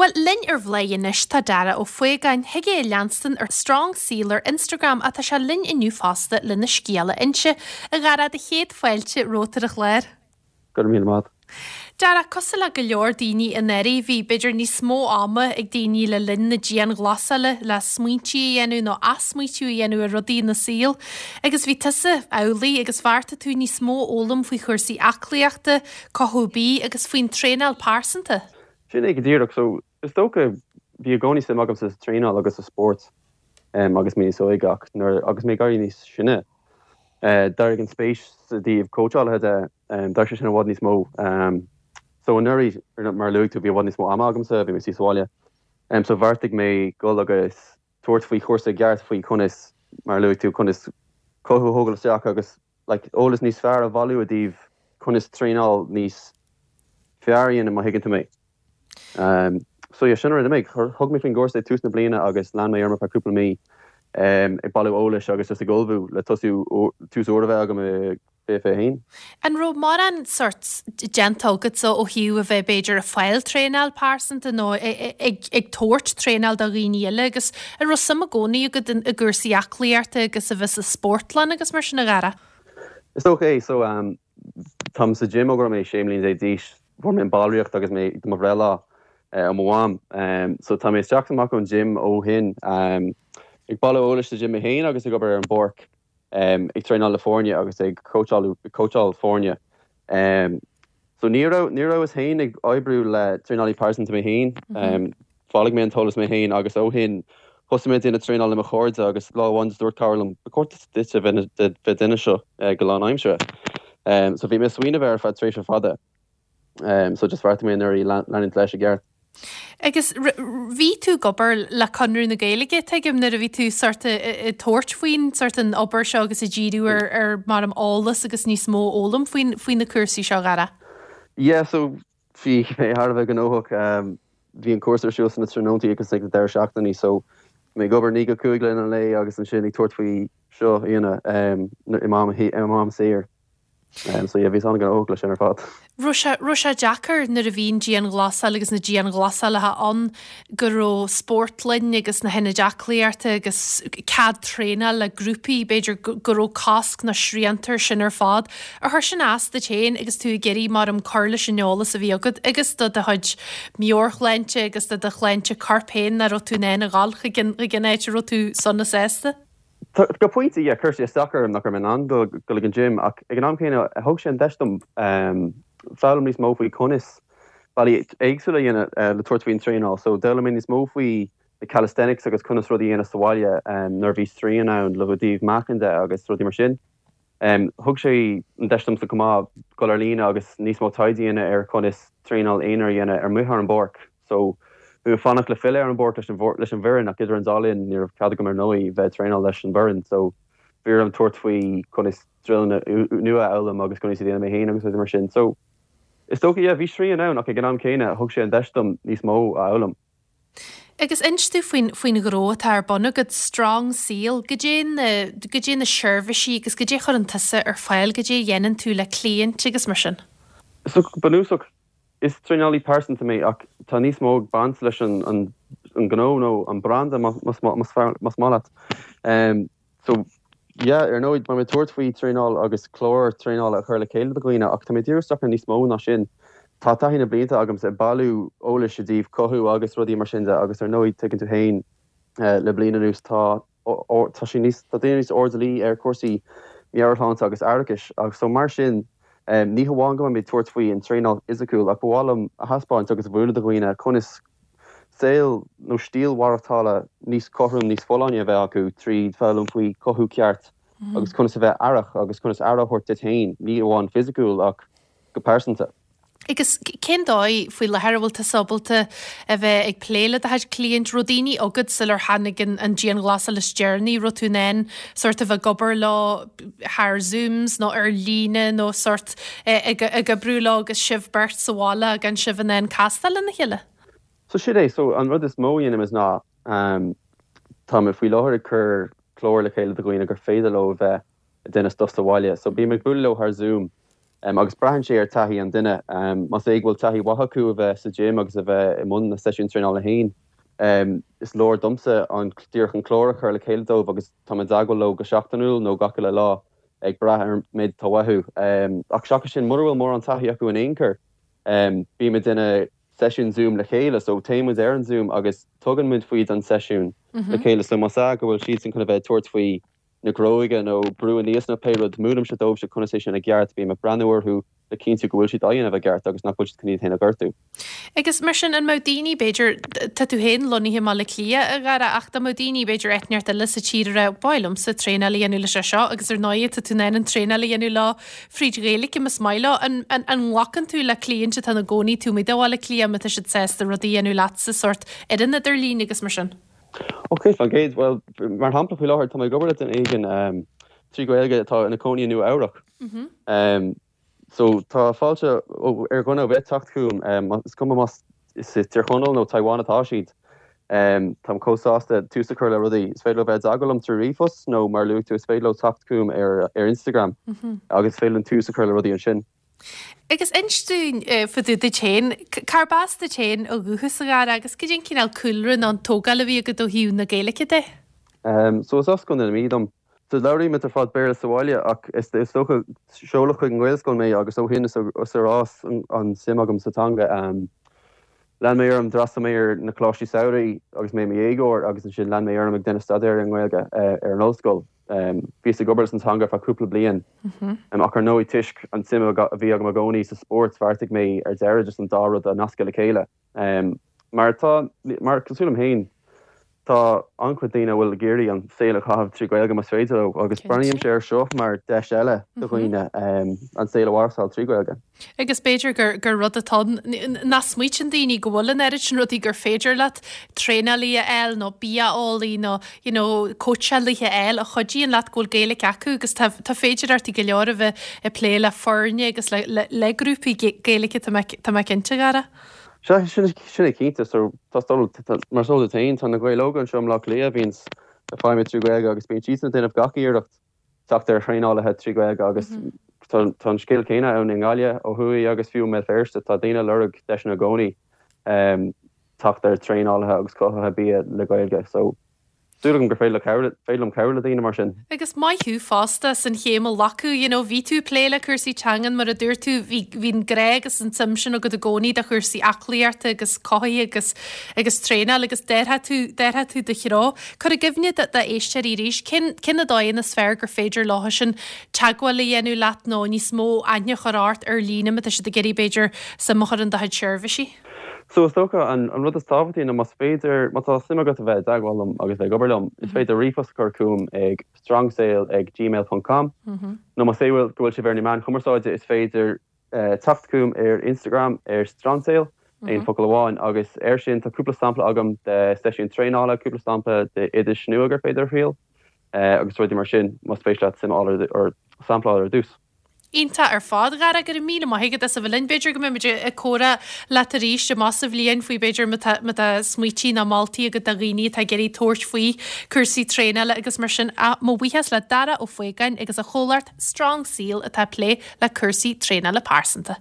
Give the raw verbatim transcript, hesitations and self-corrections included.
Bhuel, linn ar Bhladhaire anois tá Dara Ó Faogáin, thig é a leanstan ar Strong Seal ar Instagram ach tá sé linn inniu fosta lena scéal a inse. A Dhara, do chéad fáilte romhat ar an chlár. Go raibh míle maith. Dara, cosúil le go leor daoine anuraidh, bhí b'fhéidir níos mó ama ag daoine le linn na dianghlasála le smaointí a dhéanamh nó athsmaoitiú a dhéanamh ar rudaí ina saol. Agus bhí tusa amhlaidh agus bheartaigh tú níos mó a fhoghlaim faoi chúrsaí aclaíochta, cothú bídh agus faoin traenáil pearsanta. Sin é go díreach. So is dócha bhí i gcónaí suim agam sa traenáil agus sa spórt um, agus mé níos óige ach nuair agus mé ag éirí níos sine. Uh, D'éirigh an spéis sa dtaobh cóitseálaithe de um, d'éirigh sé sin i bhfad níos mó. Um, so anuraidh mar luaigh tú bhí i bhfad níos mó ama agamsa, bhí mé sa bhaile. Um, so bheartaigh mé dul agus tabhairt faoi chúrsa ceart faoi conas mar luaigh tú conas cothú a thógáil isteach agus like, eolas níos fearr a bhailiú i dtaobh conas traenáil níos fearr a dhéanamh má thuigeann tú mé. Um, so yeah, sin rud mé thug mé faoin gcúrsa tús na bliana agus lean mé orm cúpla mí um, ag bailiú eolais agus just ag ullmhú le tosú tús úr a bheith agam i fiche fiche haon. An raibh mórán sort déanta agat ó thaobh a bheith b'fhéidir ag fáil traenáil pearsanta nó ag ag tabhairt traenáil do dhaoine eile agus an raibh suim i gcónaí agat i gcúrsaí aclaíochta agus a bheith sa spórtlann agus mar sin a Dhara? Is dócha é so um, táim sa gym ó go raibh mé sé mbliana déag d'aois fuair mé an ballraíocht agus mé do mo bhreithlá uh, ó mo mham. Um, so tá mé isteach amach ón gym ó shin um, ag bailiú eolais sa gym mé féin agus ag obair ar an bpáirc um, ag traenáil le foirne agus ag coacháil coacháil foirne. Um, so ní raibh ní rabhas féin ag oibriú le traenálaí pearsanta mé féin, um, bhailigh mé an t-eolas mé féin agus ó shin thosaigh mé ag traenáil le mo chairde agus lá amháin dúirt cara liom ba chóir duit a bheith duine seo uh, go lánaimseartha. Um, so bhí mé smaoineamh ar feadh tréimhse fada. Um, so just bheartaigh mé nuair leanúint leis i gceart. Agus bhí tú ag obair le Conradh na Gaeilge tuigim nuair a bhí tú sort ag tabhairt faoin sort an obair seo agus ag díriú ar ar mar am eolas agus níos mó a fhoghlaim faoin faoi na cúrsaí seo Dhara. Yeah, so bhí mé thar a bheith gnóthach um, bhí an cúrsa ar siúl sna tráthnóntaí agus ag na deireadh seachtainí so mé ag obair naoi go cúig le an lae agus ansin ag tabhairt faoi seo ina um, i m'am saor. Um, so yeah, bhí an-ghnóthach leis sin ar fad. Raibh sé deacair nuair a bhíonn dianghlasáil agus na dianghlasálacha ann go raibh spórtlann agus na hionaid aclaíochta agus cead traenáil le grúpaí b'fhéidir go raibh cosc na srianta sin ar fad. Ar chuir sin as duit féin agus tú ag iarraidh mar am cur leis an eolas a bhí agat agus do do chuid meabhairshláinte agus do do shláinte coirp féin nach raibh tú in ann a dhul chuig an áit a raibh tú sona sásta? Go pointe yeah, chuir sé isteach orm nach raibh mé in ann dul ag an gym ach ag an am céanna thug sé an deis dom um, foghlaim níos mó faoi conas bealaí éagsúla dhéanamh uh, le tabhairt faoin traenáil, so d'fhoghlaim mé níos mó faoi na calisthenics agus conas rudaí a dhéanamh sa bhaile um, nuair bhí srian ann le dtaobh meáchain de agus rudaí mar sin. Um, thug sé an deis domsa chomh maith dul ar líne agus níos mó taighde a dhéanamh ar conas traenáil aonair a dhéanamh ar amuigh ar an bpáirc. So bhí mé fanacht le filleadh ar an bpáirc leis an leis an bhfoireann ach idir an dá linn ní raibh cead agam ar ndóigh bheith traenáil leis an bhfoireann, so bhí orm tabhairt faoi conas drillanna nua a fhoghlaim agus conas iad a dhéanamh mé féin agus rudaí mar sin. So is dócha yeah, bhí srian ann ach ag an am céanna thug sé an deis dom níos mó a fhoghlaim. Agus inis dúinn faoin faoin ghnó atá ar bun agat Strong Seal, goidé na goidé na seirbhísí agus goidé a chuireann tusa ar fáil, goidé a dhéanann tú le cliaint agus mar sin. So bunúsach is traenálaí pearsanta mé ach tá níos mó ag baint leis an an an gnó nó an branda más maith leat. Um, so yeah, ar ndóigh tá mé ag tabhairt faoi traenáil agus clár traenála a chur le chéile do dhaoine ach tá mé dírithe ar níos mó ná sin. Tá taithí na blianta agam ag bailiú eolais i dtaobh cothú agus rudaí mar sin de agus ar ndóigh tuigeann tú féin uh, le bliain anuas tá tá sé níos tá daoine níos airdeallaí ar cúrsaí meabhairshláinte agus aireachais agus so mar sin um, ní hamháin go mé tabhairt faoi an traenáil fhisiciúil ach ba mhaith liom a thaispeáint agus a mhúineadh do dhaoine conas saol nó stíl mhaireachtála níos cothrom níos folláine a bheith acu tríd foghlaim faoi cothú ceart mm -hmm. agus conas a bheith aireach agus conas aire a thabhairt duit féin ní amháin fisiciúil ach go pearsanta. Agus cén dóigh faoi láthair a bhfuil tú ábalta a bheith ag plé le do chuid cliaint raibh daoine agat sular tháinig an dianghlasáil is deireanaí raibh tú in ann sort of ag obair leo thar Zooms nó ar líne nó sort ag ag oibriú leo agus sibh beirt sa bhaile gan sibh in ann castáil lena chéile. So sin é so an rud is mó a dhéanaim is ná um, tá mé faoi láthair ag cur clár le chéile do dhaoine gur féidir leo bheith ag déanamh stuff sa bhaile, so bím ag bualadh leo thar Zoom Um, agus braitheann sé ar taithí an duine um, más é go bhfuil taithí mhaith acu a bheith sa gym agus a bheith i mbun na seisiún traenála féin. Um, is leor domsa an díreach an clár a chur le chéile dóibh agus tá i dteagmháil leo go seachtainiúil nó gach uile lá ag brath ar méid atá uathu. Um, ach seachas sin mura bhfuil mórán taithí acu in aon chor. Um, Bímid ina seisiún Zoom le chéile, so téimid ar an Zoom agus tugann muid faoi an seisiún mm -hmm. le chéile so más go bhfuil siad sin chun a bheith tabhairt faoi na bróga nó brú aníos nó pé rud múinim se dóibh se conas é sin i gceart bím ag breathnú orthu le cinntiú go bhfuil siad á dhéanamh i gceart agus nach bhfuil siad chun iad féin a ghortú. Agus mar sin an mbeadh daoine b'fhéidir tá tú féin lonnaithe i mBaile Átha Cliath a Dhara ach dá mbeadh daoine b'fhéidir áit inteacht eile sa tír a ba mhaith liomsa traenáil a dhéanamh leis seo agus ar ndóigh tá tú in ann an traenáil a dhéanamh leo fríd Ghaeilge más maith leo an an an nglacann tú le cliaint atá ina gcónaí taobh amuigh de Bhaile Átha Cliath má tá siad sásta rudaí a dhéanamh leatsa sórt ar an idirlíon agus mar sin. Ok fan géad well mar shampla faoi láthair tá mé ag obair le duine éigin um, trí Ghaeilge atá ina cónaí i Nua Eabhrac. Mm -hmm. um, so tá fáilte ar dhuine ar bith teacht chugam um, is cuma más is Tír Chonaill nó Taiwan atá siad. Um, Táim chomh sásta tús a chur le rudaí is féidir leo bheith i dteagmháil liom trí ríomhphost nó mar luaigh tú is féidir leo teacht chugam ar ar Instagram mm -hmm. agus féidir linn tús a chur le rudaí ansin. Agus inis dúinn fá dtaobh duit féin, cárb as duit féin ó dhúchas a Dhara agus cad é an cineál cúlra nó an tógáil a bhí agat ó thaobh na Gaeilge de? Um, so is as Contae na Mí dom. So labhraímid ar fad Béarla sa bhaile ach is is dócha seoladh chuig an Ghaelscoil mé agus ó shin is ar fhás an suim agam sa teanga. Um, Lean mé orm d'fhreastail mé ar na coláistí samhraidh agus mé i mo dhéagóir agus ansin lean mé orm ag déanamh staidéar an Ghaeilge uh, ar an ollscoil. Um, Bhíos ag obair san teanga feadh cúpla bliain. Mm -hmm. um, ach ar ndóigh toisc an suim a bhí agam i gcónaí sa spórt bheartaigh mé ar deireadh just an dá rud a nascadh le chéile. Um, mar tá mar cosúil liom féin tá an-chuid daoine bhfuil ag iarraidh an saol a chaitheamh trí Ghaeilge más féidir leo agus breathnaím sé ar seo mar deis eile do dhaoine um, an saol a mhaireachtáil trí Ghaeilge. Agus b'fhéidir gur gur rud atá nach smaoiníonn daoine go bhfuil an oiread sin rudaí gur féidir leat traenálaí a fháil nó bia-eolaí nó you know, cóitseálaithe a fháil a chuidíonn leat go bhfuil Gaeilge acu agus tá féidir go leor a bheith ag plé le foirne agus le, le, le grúpaí Gaeilge tá mé cinnte a Dhara. Sin sin é cinnte so tá mar so tain tá na Gaeil Óga anseo i mBaile Átha Cliath bhíonn ag feidhmiú trí Ghaeilge agus bíonn siad ag déanamh gach iarracht teacht ar thraenálaithe trí Ghaeilge agus tá an scéal céanna ann i nGaillimh ó thuaidh agus fiú i mBéal Feirste tá daoine ag lorg deiseanna i gcónaí um, teacht ar traenálaithe agus cothaithe bia le Gaeilge so Súil gur féidir féidir liom cabhrú le daoine mar sin. Agus maith thú fosta as an chéim a ghlacadh, you know, bhí tú ag plé le cúrsaí teangan mar a dúirt tú bhí bhí grá agus an tsuim sin agat i gcónaí do chúrsaí aclaíochta agus cothaithe agus agus traenáil agus d'athraigh tú d'athraigh tú do threo. Cuir i gcuimhne d'éisteoirí arís cén cén na dóigheanna is fearr gur féidir leo sin teagmháil a dhéanamh leat nó níos mó aithne a chur ort ar líne má tá siad ag iarraidh b'fhéidir suim a chur in do chuid seirbhísí. So is dócha an an rud is tábhachtaí ná más féidir má tá suim agat a bheith i dteagmháil liom agus bheith ag obair liom, is féidir ríomhphost a chur chugam ag strongsail ag gmail.com nó más é go bhfuil sibh ar na meáin chumarsáide is féidir uh, teacht chugam ar Instagram ar strongsail aon focal amháin agus ar sin tá cúpla sampla agam de seisiún traenála cúpla sampla de oidis nua gur féidir thriail uh, agus rudaí mar sin más féidir leat suim ar sampla ar dtús. Iontach ar fad Dhara go raibh míle maith agat as a bheith linn b'fhéidir go mbeimid ag comhrá leat arís amach sa bhliain faoi b'fhéidir má tá smaointe nó moltaí agat do dhaoine atá ag iarraidh tabhairt faoi cúrsaí traenála agus mar sin mo bhuíochas le Dara Ó Faogáin agus a chomhlacht Strong Seal atá ag plé le cúrsaí traenála pearsanta.